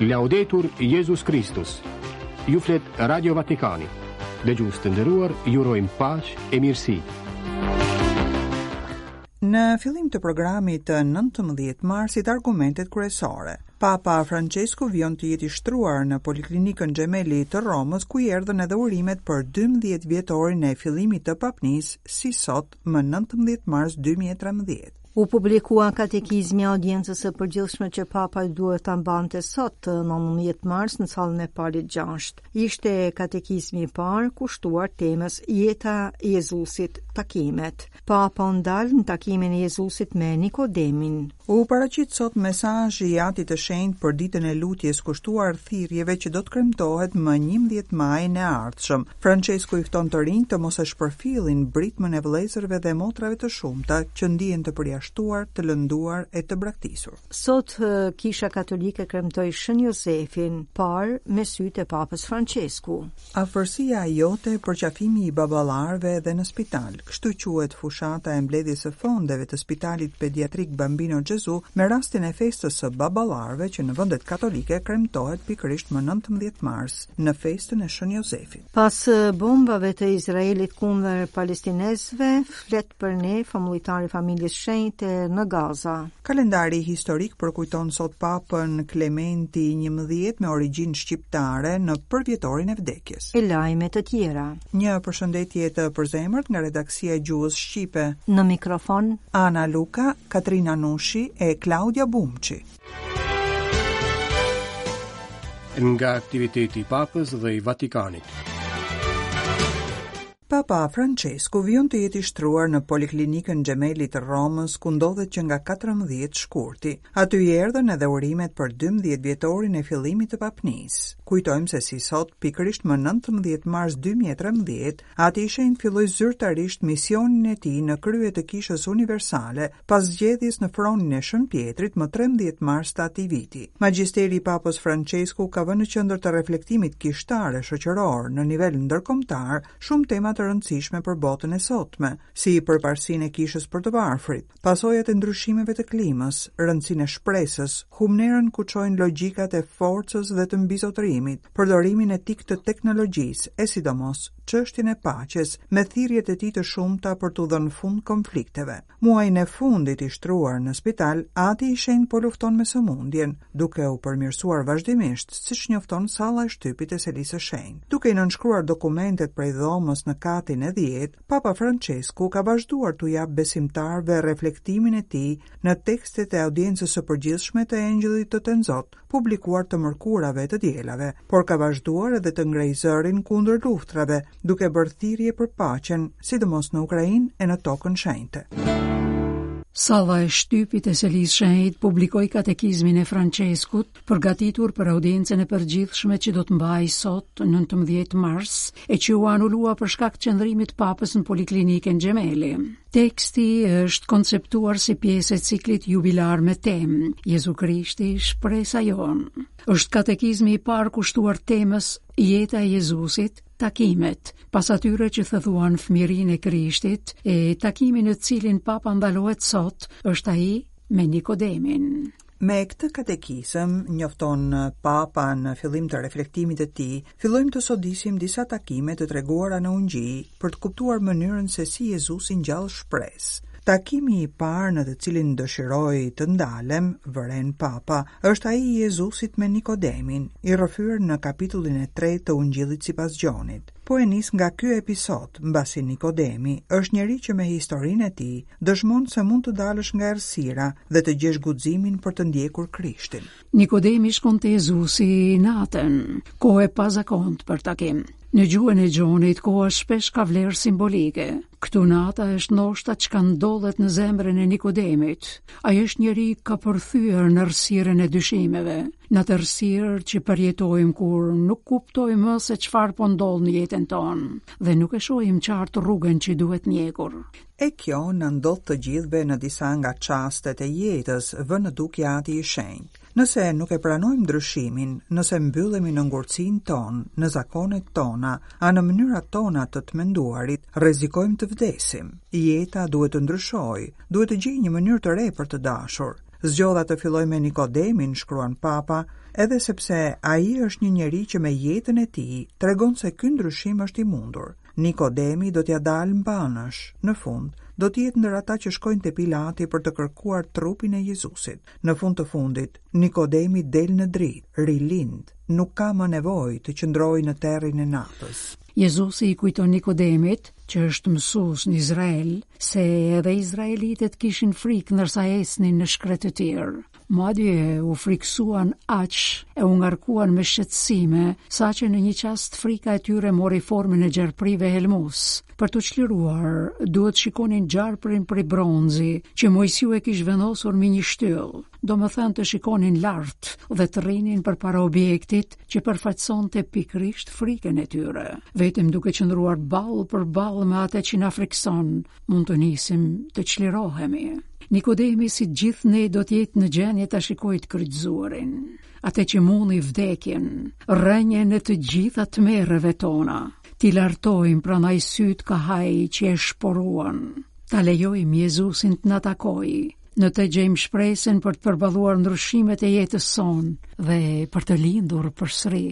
Laudetur Jezus Kristus. Ju flet Radio Vatikani. Dëgjues të nderuar, ju urojmë paqe e mirësi. Në fillim të programit të 19 marsit argumentet kryesore. Papa Francesku vijon të jetë i shtruar në Poliklinikën Gemelli të Romës, ku i erdhën edhe urimet për 12 vjetorin e fillimit të papnisë, si sot, më 19 mars 2013. U publikua katekizmi i audiencës së përgjithshme që Papa duhet ta mbante sot, 19 mars në sallën e Palit 6. Ishte katekizmi i parë kushtuar temës Jeta e Jezusit, takimet. Papa u ndal në takimin e Jezusit me Nikodemin. U paraqit sot mesazhi i Atit të Shenjtë për ditën e lutjes kushtuar thirrjeve që do të kremtohet më 11 majin e ardhshëm. Françesku i fton të rinjtë të mos e shpërfillin britmën e vëllezërve dhe motrave të shumta që ndihen të përjashtuar, të lënduar e të braktisur. Sot Kisha Katolike kremtoi Shën Jozefin, parë me sytë e Papës Françesku. Afërsia jote, përqafimi i baballarëve edhe në spital, kështu quhet fushata e mbledhjes së fondeve të Spitalit Pediatrik Bambino Gesù me rastin e festës së baballarëve që në vendet katolike kremtohet pikërisht më 19 mars. në festën e Shën Jozefit. Pas bombave të Izraelit kundër palestinezëve, flet për ne famullitari i familjes shenjte në Gaza. Kalendari historik përkujton sot Papën Klementi XI me origjinë shqiptare në përvjetorin e vdekjes. E lajme të tjera. Një përshëndetje të përzemërt nga redaksia e Gjuhës Shqipe. Në mikrofon Ana Luka, Katrina Nushi e Klaudia Bumçi. Nga aktiviteti i Papës dhe i Vatikanit. Papa Francesku vijon të jetë i shtruar në Poliklinikën Gemelli të Romës, ku ndodhet që nga 14 shkurti. Aty i erdhën edhe urimet për 12 vjetorin e fillimit të papnisë. Kujtojmë se si sot, pikërisht më 19 mars 2013, Ati i Shenjtë filloi zyrtarisht misionin e tij në krye të Kishës Universale, pas zgjedhjes në fronin e Shën Pjetrit më 13 mars të atij viti. Magjisteri i Papës Françesku ka vënë në qendër të reflektimit kishtar e shoqëror në nivel ndërkombëtar shumë tema të rëndësishme për botën e sotme, si përparësinë e kishës për të varfrit, pasojat e ndryshimeve të klimës, rëndësinë e shpresës, humnerën ku çojnë logjikat e forcës dhe të mbizotërimit, përdorimin etik të teknologjisë e sidomos çështjen e paqes me thirrjet e tij të shumta për t'u dhënë fund konflikteve. Muajin e fundit i shtruar në spital, Ati i Shenjtë po lufton me sëmundjen, duke u përmirësuar vazhdimisht, siç njofton salla e shtypit e Selisë së Shenjtë. Duke i nënshkruar dokumentet prej dhomës në katin e 10, Papa Françesku ka vazhduar t'u japë besimtarëve reflektimin e tij në tekstet e audiencës së përgjithshme të Engjëllit të Tenzot, publikuar të mërkurave e të dielave, por ka vazhduar edhe të ngrejë zërin kundër luftrave, duke bërë thirrje për paqen, sidomos në Ukrainë e në Tokën Shenjte. Salla e shtypit e Selisë Shenjtë publikoi katekizmin e Françeskut, përgatitur për audiencën e përgjithshme që do të mbahej sot, 19 mars, e që u anulua për shkak të qëndrimit të Papës në Poliklinikën Gemelli. Teksti është konceptuar si pjesë e ciklit jubilar me temë Jezu Krishti, shpresa jonë. Është katekizmi i parë kushtuar temës Jeta e Jezusit, takimet, pas atyre që thelluan fëmijërinë e Krishtit, e takimi në të cilin Papa ndalohet sot është ai me Nikodemin. Me këtë katekizëm, njofton Papa në fillim të reflektimit të tij, fillojmë të sodisim disa takime të treguara në Ungjij për të kuptuar mënyrën se si Jezusi ngjall shpresë. Takimi i parë në të cilin dëshiroj të ndalem, vëren Papa, është ai i Jezusit me Nikodemin, i rrëfyer në kapitullin e tretë të Ungjillit sipas Gjonit. Po e nis nga ky episod, mbasi Nikodemi është njeri që me historinë e tij dëshmon se mund të dalësh nga errësira dhe të gjesh guximin për të ndjekur Krishtin. Nikodemi shkon te Jezusi natën, kohë e pazakontë për takim. Në gjuhën e Gjonit, koha shpesh ka vlerë simbolike. Këtu nata është ndoshta çka ndodhet në zemrën e Nikodemit. Ai është njeri i kapërthyer në errësirën e dyshimeve, në atë errësirë që përjetojmë kur nuk kuptojmë më se çfarë po ndodh në jetën tonë dhe nuk e shohim qartë rrugën që duhet ndjekur. E kjo na ndodh të gjithëve në disa nga çastet e jetës, vë në dukje Ati i Shenjtë. Nëse nuk e pranojmë ndryshimin, nëse mbyllemi në ngurtësinë tonë, në zakonet tona, a në mënyrat tona të të menduarit, rrezikojmë të vdesim. Jeta duhet të ndryshojë, duhet të gjejë një mënyrë të re për të dashur. Zgjodha të filloj me Nikodemin, shkruan Papa, edhe sepse ai është një njeri që me jetën e tij tregon se ky ndryshim është i mundur. Nikodemi do t'ia dalë mbanësh, në fund, do të jetë ndër ata që shkojnë te Pilati për të kërkuar trupin e Jezusit. Në fund të fundit, Nikodemi del në dritë, rilind, nuk ka më nevojë të qëndrojë në terrin e natës. Jezusi i kujton Nikodemit, që është mësues në Izrael, se edhe izraelitët kishin frikë ndërsa ecnin në shkretëtirë. Madje u frikësuan aq e u ngarkuan me shqetësime, saqë në një çast frika e tyre mori formën e gjarpërinjve helmues. Për t'u çliruar, duhet shikonin gjarprin prej bronzi, që Moisiu e kish vendosur mbi një shtyllë, domethënë të shikonin lart dhe të rrinin përpara objektit që përfaqësonte pikërisht frikën e tyre. Vetëm duke qëndruar ballë për ballë me atë që na frikëson, mund të nisim të çlirohemi. Nikodemi si gjithë ne do të jetë në gjendje ta shikojë të kryqëzuarin, atë që mundi vdekjen, rrënjën e të gjitha tmerreve tona. T'i lartojmë prandaj sytë kah ai që e shporuan. Ta lejojmë Jezusin të na takojë. Në të gjejmë shpresën për të përballuar ndryshimet e jetës sonë dhe për të lindur përsëri.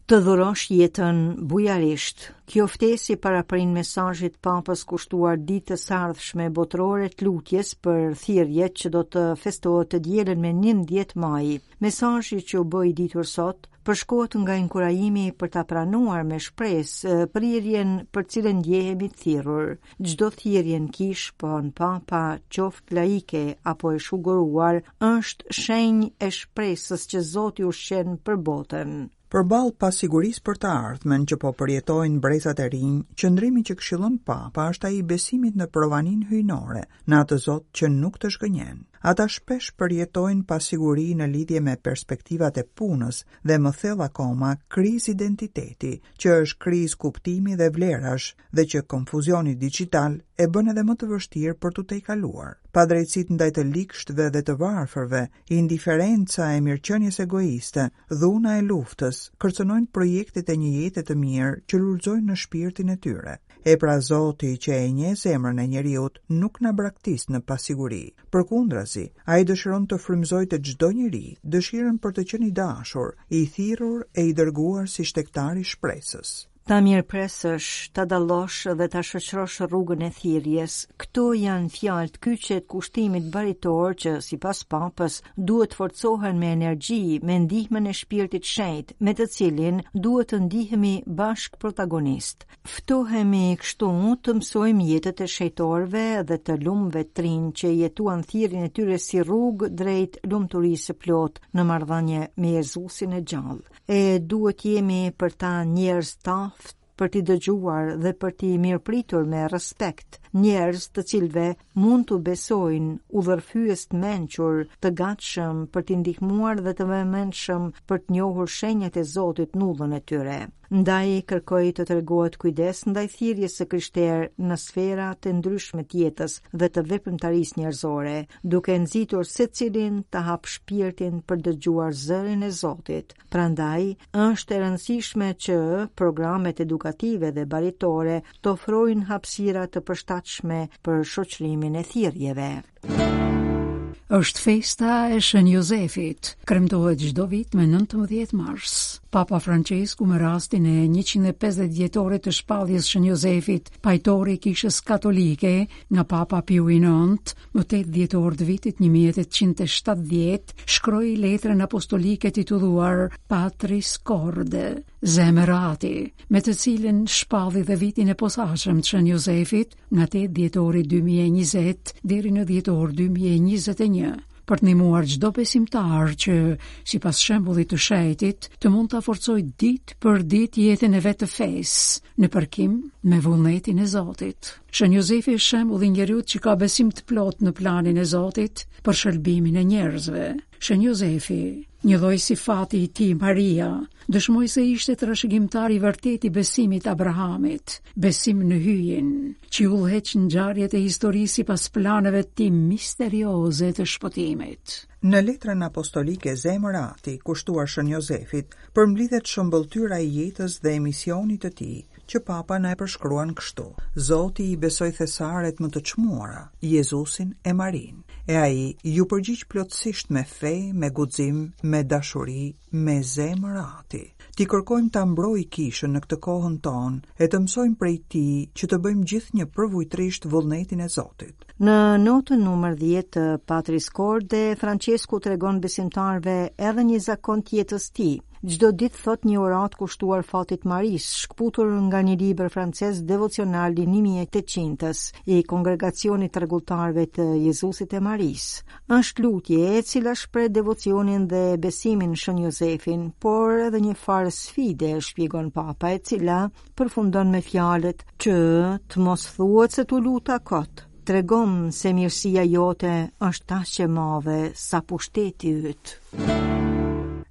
Të dhurosh jetën bujarisht. Kjo ftesë i paraprin mesazhit të Papës kushtuar ditës së ardhshme botërore të lutjes për thirrjet që do të festohet të dielën me 11 maj. Mesazhi që u bë i ditur sot përshkohet nga inkurajimi për ta pranuar me shpresë prirjen për cilën ndjehemi të thirrur. Çdo thirrje në kishë, pohon Papa, qoftë laike apo e shuguruar, është shenjë e shpresës që Zoti ushqen për botën. Përballë pasigurisë për të ardhmen që po përjetojnë brezat e rinj, qëndrimi që këshillon Papa është ai i besimit në provaninë hyjnore, në atë Zot që nuk të zhgënjen. Ata shpesh përjetojnë pasiguri në lidhje me perspektivat e punës dhe më thellë akoma krizë identiteti, që është krizë kuptimi dhe vlerash dhe që konfuzioni dixhital e bën edhe më të vështirë për t'u tejkaluar. Padrejtësitë ndaj të ligshtëve dhe të varfërve, indiferenca e mirëqenies egoiste, dhuna e luftës, kërcënojnë projektet e një jete të mirë që lulëzojnë në shpirtin e tyre. E pra Zoti që e njeh zemrën e njeriut nuk na braktis në pasiguri. Përkundrazi, ai dëshiron të frymëzojë te çdo njeri dëshirën për të qenë i dashur, i thirrur e i dërguar si shtegtar i shpresës. Ta mirëpresësh, ta dallosh dhe ta shoqërosh rrugën e thirrjes. Këto janë fjalët kyçe të kushtimit baritor që, sipas Papës, duhet të forcohen me energji, me ndihmën e Shpirtit Shenjt, me të cilin duhet të ndihemi bashkëprotagonistë. Ftohemi kështu të mësojmë jetët e shenjtorëve dhe të lumëve trinj që jetuan thirrjen e tyre si rrugë drejt lumturisë së plotë në marrëdhënie me Jezusin e gjallë. E duhet jemi për ta njerëz të aftë për t'i dëgjuar dhe për t'i mirëpritur me respekt, njerëz të cilëve mund t'u besojnë udhërrëfyes të mençur, të gatshëm për t'i ndihmuar dhe të vëmendshëm për të njohur shenjat e Zotit në udhën e tyre. Ndaj kërkoi të tregohet kujdes ndaj thirrjes së krishterë në sfera të ndryshme të jetës dhe të veprimtarisë njerëzore, duke nxitur secilin të hapë shpirtin për dëgjuar zërin e Zotit. Prandaj, është e rëndësishme që programet edukative dhe baritore të ofrojnë hapësira të përshtatshme për shoqërimin e thirrjeve. Është festa e Shën Jozefit, kremtohet çdo vit me 19 mars. Papa Francesku me rastin e 150 vjetorit të shpalljes Shën Jozefit, pajtor i Kishës Katolike, nga Papa Piu i IX, më 8 dhjetor të vitit 1870, shkroi letrën apostolike titulluar Patris Corde, Zemër Ati, me të cilën shpalli dhe vitin e posaçëm të Shën Jozefit, nga 8 dhjetori 2020 deri në dhjetor 2021, për të ndihmuar çdo besimtar që, sipas shembullit të shenjtit, të mund ta forcojë ditë për ditë jetën e vet të fesë, në përkim me vullnetin e Zotit. Shën Jozefi është shembulli i njeriut që ka besim të plotë në planin e Zotit për shëlbimin e njerëzve. Shën Jozefi, njëlloj si fati i tij Maria, dëshmoi se ishte trashëgimtar i vërtetë i besimit të Abrahamit, besim në Hyjin, që i udhëheq ngjarjet e historisë sipas planeve të tij misterioze të shpëtimit. Në letrën apostolike Zemër Ati, kushtuar Shën Jozefit, përmblidhet shëmbëlltyra e jetës dhe e misionit të tij, që Papa na e përshkruan kështu: Zoti i besoi thesaret më të çmuara, Jezusin e Marinë. E ai iu përgjigj plotësisht me fe, me guxim, me dashuri, me zemër ati. T'i kërkojmë ta mbrojë kishën në këtë kohën tonë e të mësojmë prej tij që të bëjmë gjithnjë përvujtërisht vullnetin e Zotit. Në notën numër 10 të Patris Corde, Françesku tregon besimtarëve edhe një zakon të jetës tij. Çdo ditë thotë një uratë kushtuar fatit Marisë, shkëputur nga një libër francez devocional i 1800-s i Kongregacionit të Rregulltarëve të Jezusit e Marisë. Është lutje e cila shpreh devocionin dhe besimin në Shën Jozefin, por edhe një farë sfide, shpjegon Papa, e cila përfundon me fjalët që të mos thuhet se t'u luta kot. Tregomë se mirësia jote është aq e madhe sa pushteti yt.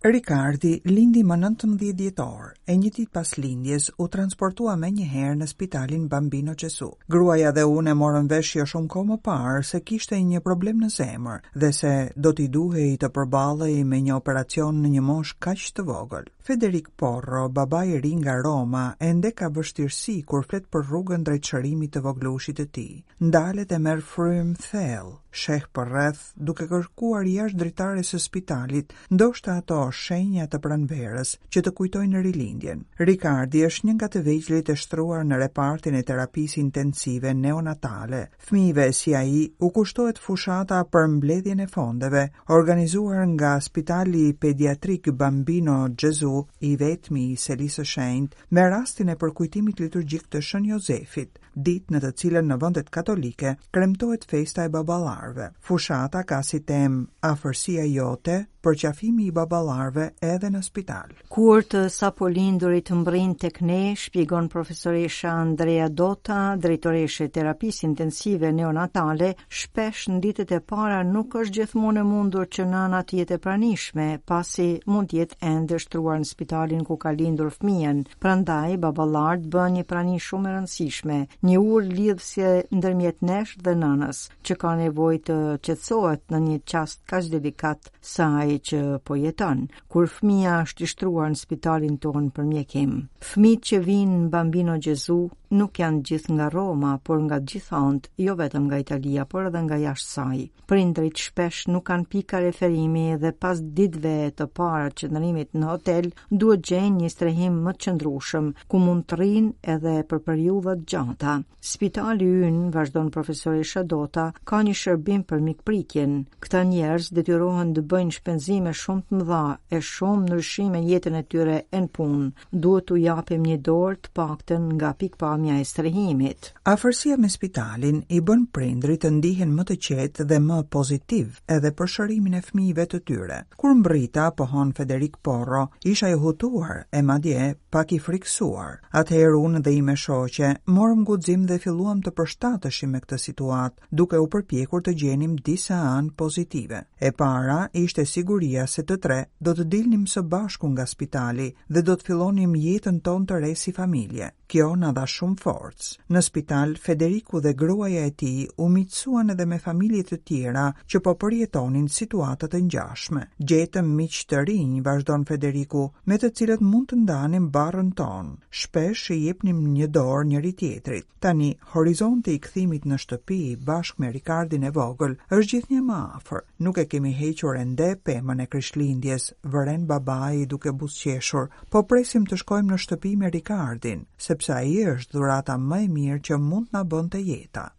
Rikardi lindi më 19 dhjetor, e një ditë pas lindjes u transportua menjëherë në spitalin Bambino Gesù. Gruaja dhe unë e morëm vesh jo shumë kohë më parë se kishte një problem në zemër dhe se do t'i duhej të përballej me një operacion në një moshë kaq të vogël. Federik Porro, baba i ri nga Roma, ende ka vështirësi kur flet për rrugën drejt shërimit të vogëlushit të tij. Ndalet e merr frymë thellë, sheh përreth, duke kërkuar jashtë dritares së spitalit, ndoshta ato shenja të pranverës që të kujtojnë rilindjen. Rikardi është një nga të vegjlit e shtruar në repartin e terapisë intensive neonatale. Fëmijëve si ai u kushtohet fushata për mbledhjen e fondeve, organizuar nga Spitali Pediatrik Bambino Gesù, i vetmi i Selisë së Shenjtë, me rastin e përkujtimit liturgjik të Shën Jozefit, ditë në të cilën në vendet katolike kremtohet festa e baballarëve. Fushata ka si temë Afërsia jote, përqafimi i baballarëve edhe në spital. Kur të sapolindurit mbërrijnë tek ne, shpjegon profesoresha Andrea Dotta, drejtoreshë e terapisë intensive neonatale, shpesh në ditët e para nuk është gjithmonë e mundur që nëna të jetë e pranishme, pasi mund të jetë ende shtruar në spitalin ku ka lindur fëmijën. Prandaj, baballarët bëhen një prani shumë e rëndësishme, një urë lidhëse ndërmjet nesh dhe nënës, që ka nevojë të qetësohet në një çast kaq delikat sa ai që po jeton. kur fëmija është i shtruar në spitalin tonë për mjekim. Fëmijët që vijnë në Bambino Gesù nuk janë gjithë nga Roma, por nga të gjitha anët, jo vetëm nga Italia, por edhe nga jashtë saj. Prindërit shpesh nuk kanë pika referimi dhe pas ditëve të para të qëndrimit në hotel, duhet gjejnë një strehim më të qëndrueshëm, ku mund të rrinë edhe për periudha të gjata. Spitali ynë, vazhdon profesoresha Dotta, ka një shërbim për mikpritjen. Këta njerëz detyrohen të bëjnë shpenzime shumë të mëdha e shumë ndryshime në jetën e tyre e në punë. Duhet t'u japim një dorë të paktën nga pikëpamja e strehimit. Afërsia me spitalin i bën prindërit të ndihen më të qetë dhe më pozitivë edhe për shërimin e fëmijëve të tyre. Kur mbërrita, pohon Federik Porro, isha i hutuar e madje pak i frikësuar. Atëherë unë dhe ime shoqe morëm guxim dhe filluam të përshtateshim me këtë situatë, duke u përpjekur të gjenim disa anë pozitive. E para ishte siguria se të tre do të dilnim së bashku nga spitali dhe do të fillonim jetën tonë të re si familje. Kjo na dha shumë forcë. Në spital, Federiku dhe gruaja e tij u miqësuan edhe me familje të tjera që po përjetonin situata të ngjashme. Gjetëm miq të rinj, vazhdon Federiku, me të cilët mund të ndanim barrën tonë. Shpesh i jepnim një dorë njëri-tjetrit. Tani, horizonti i kthimit në shtëpi bashkë me Rikardin e vogël është gjithnjë më afër. Nuk e kemi hequr ende pemën e Krishtlindjes, vëren babai duke buzëqeshur, Po presim të shkojmë në shtëpi me Rikardin, sepse ai është dhurata më e mirë që mund të na bënte jeta.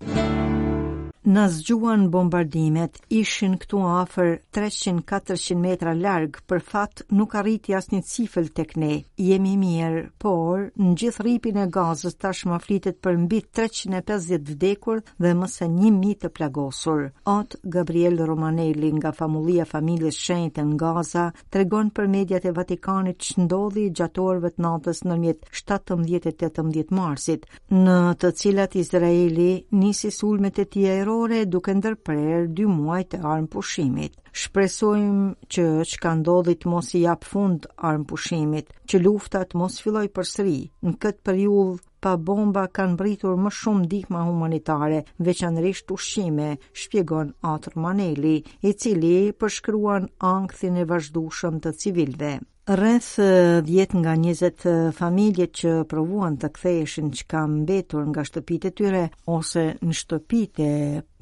Na zgjuan bombardimet, ishin këtu afër 300-400 metra larg, për fat nuk arriti asnjë cifël tek ne. Jemi mirë, por në gjithë rripin e Gazës tashmë flitet për mbi 350 vdekur dhe më se 1000 të plagosur. At Gabriel Romanelli nga famullia e familjes shenjte në Gaza tregon për mediat e Vatikanit ç'ndodhi gjatë orëve të natës ndërmjet 17 e 18 marsit, në të cilat Izraeli nisi sulmet e tij ajrore duke ndërprerë dy muajt e armëpushimit. Shpresojmë që çka ndodhi të mos i japë fund armëpushimit, që lufta të mos fillojë përsëri. Në këtë periudhë pa bomba kanë mbërritur më shumë ndihma humanitare, veçanërisht ushqime, shpjegon At Romanelli, i cili përshkruan ankthin e vazhdueshëm të civilëve. Rreth 10 nga 20 familjet që provuan të ktheheshin ç'ka mbetur nga shtëpitë e tyre ose në shtëpitë e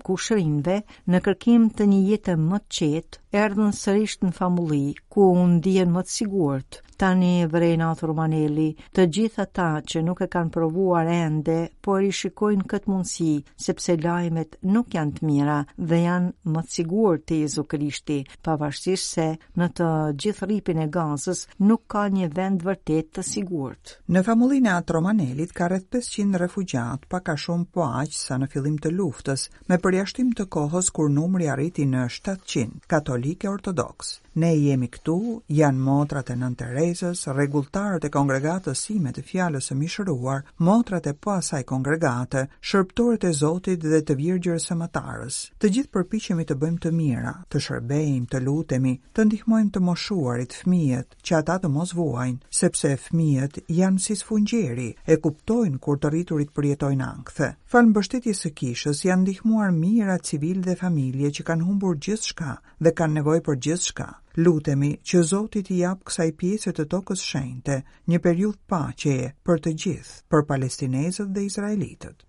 kushërinjve, në kërkim të një jete më të qetë, erdhën sërish në famulli, ku u ndihen më të sigurt. Tani vëren Atë Romanelli, të gjithë ata që nuk e kanë provuar ende, po e rishikojnë këtë mundësi, sepse lajmet nuk janë të mira dhe janë më të sigurt te Jezu Krishti, pavarësisht se në të gjithë rripin e Gazës nuk ka një vend vërtet të sigurt. Në famullinë e Atë Romanelit ka rreth 500 refugjatë, pak a shumë po aq sa në fillim të luftës, me përjashtim të kohës kur numri arriti në 700, katolikë e ortodoksë. Ne jemi këtu, janë motrat e Nënë Terezës, rregulltarët e kongregatës sime të fjalës së mishëruar, motrat e po asaj kongregate, shërbëtorët e Zotit dhe të Virgjërës së Matarës. Të gjithë përpiqemi të bëjmë të mira, të shërbejmë, të lutemi, të ndihmojmë të moshuarit, fëmijët, që ata të mos vuajnë, sepse fëmijët janë si sfungjeri, e kuptojnë kur të rriturit përjetojnë ankthe. Falë mbështetjes së kishës janë ndihmuar mijëra civilë dhe familje që kanë humbur gjithçka dhe kanë nevojë për gjithçka. Lutemi që Zoti t'i japë kësaj pjese të tokës shenjte një periudhë paqeje për të gjithë, për palestinezët dhe izraelitët.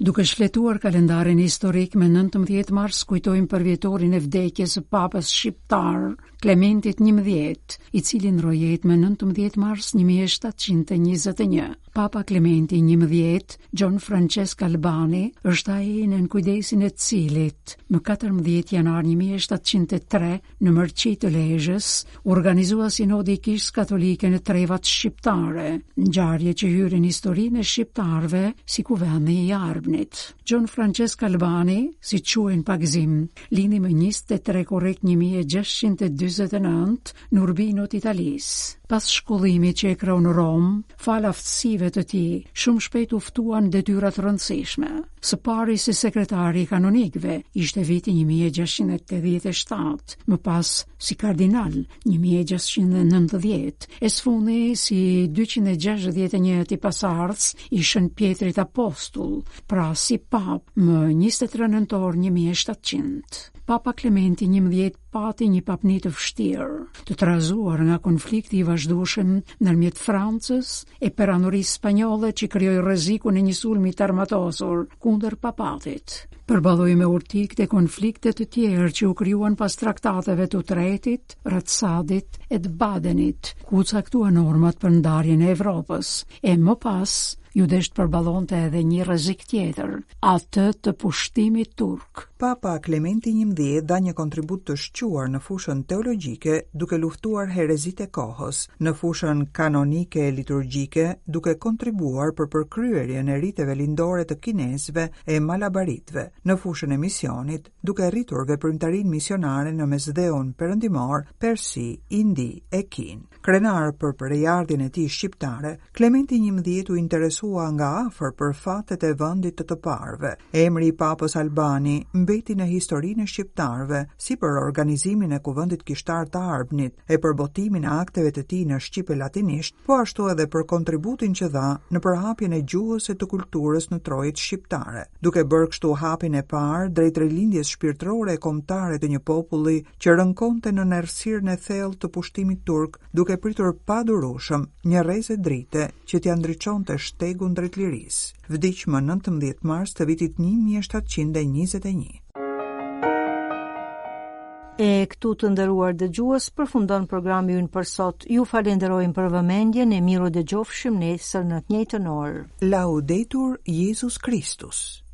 Duke shfletuar kalendarin historik me 19 mars kujtojmë përvjetorin e vdekjes së Papës shqiptar Klementit 11, i cili ndërroi jetë më 19 mars 1721. Papa Klementi 11, Gjon Francesc Albani, është ai nën kujdesin e të cilit më 14 janar 1703 Në Mërqi të Lezhës, u organizua sinodi i Kishës Katolike në trevat shqiptare, ngjarje që hyri në historinë e shqiptarëve si Kuvendi i Arbnit. Gjon Francesc Albani, siç quhej në pagëzim, lindi më 23 korrik 1649 në Urbino të Italisë. Pas shkollimit që e kreu në Romë, falë aftësive të tij, shumë shpejt u ftua në detyra të rëndësishme. Së pari si sekretari i kanonikëve, ishte viti 1687, më pas si kardinal 1690, e së fundi si 261 pasardhës i Shën Pjetrit Apostull, pra si papë më 23 nëntor 1700. Papa Klementi 11 pati një papni të vështirë, të trazuar nga konflikti i vazhdueshëm ndërmjet Francës e perandorisë spanjolle që krijoi rrezikun e një sulmi të armatosur kundër papatit. Përballoi me urti këto konflikte të tjerë që u krijuan pas traktateve të Utrehtit, Ratsadit e të Badenit, ku u caktuan normat për ndarjen e Evropës, e më pas iu desh të përballonte edhe një rrezik tjetër, atë të pushtimit turk. Papa Klementi 11 dha një kontribut të shquar në fushën teologjike duke luftuar herezitë e kohës, në fushën kanonike e liturgjike duke kontribuar për përkryerjen e riteve lindore të kinezëve e malabaritëve, në fushën e misionit duke rritur veprimtarinë misionare në Mesdheun Perëndimor, Persi, Indi e Kinë. Krenar për prejardhjen e tij shqiptare, Klementi 11 u interesua nga afër për fatet e vendit të të parëve. Emri i Papës Albani mbeti në historinë e shqiptarëve, si për organizimin e Kuvendit Kishtar të Arbnit e për botimin e akteve të tij në shqip e latinisht, po ashtu edhe për kontributin që dha në përhapjen e gjuhës e të kulturës në trojet shqiptare, duke bërë kështu hapin e parë drejt rilindjes shpirtërore e kombëtare të një populli që rënkonte nën errësirën e thellë të pushtimit turk, duke pritur padurueshëm një rreze drite që t'ia ndriçonte shtegun drejt lirisë. Vdiq më 19 mars të vitit 1721. E këtu të nderuar dëgjues përfundon programi ynë për sot. Ju falenderojmë për vëmendjen e mirudëgjofshim nesër në të njëjtën orë. Laudetur Jezus Kristus.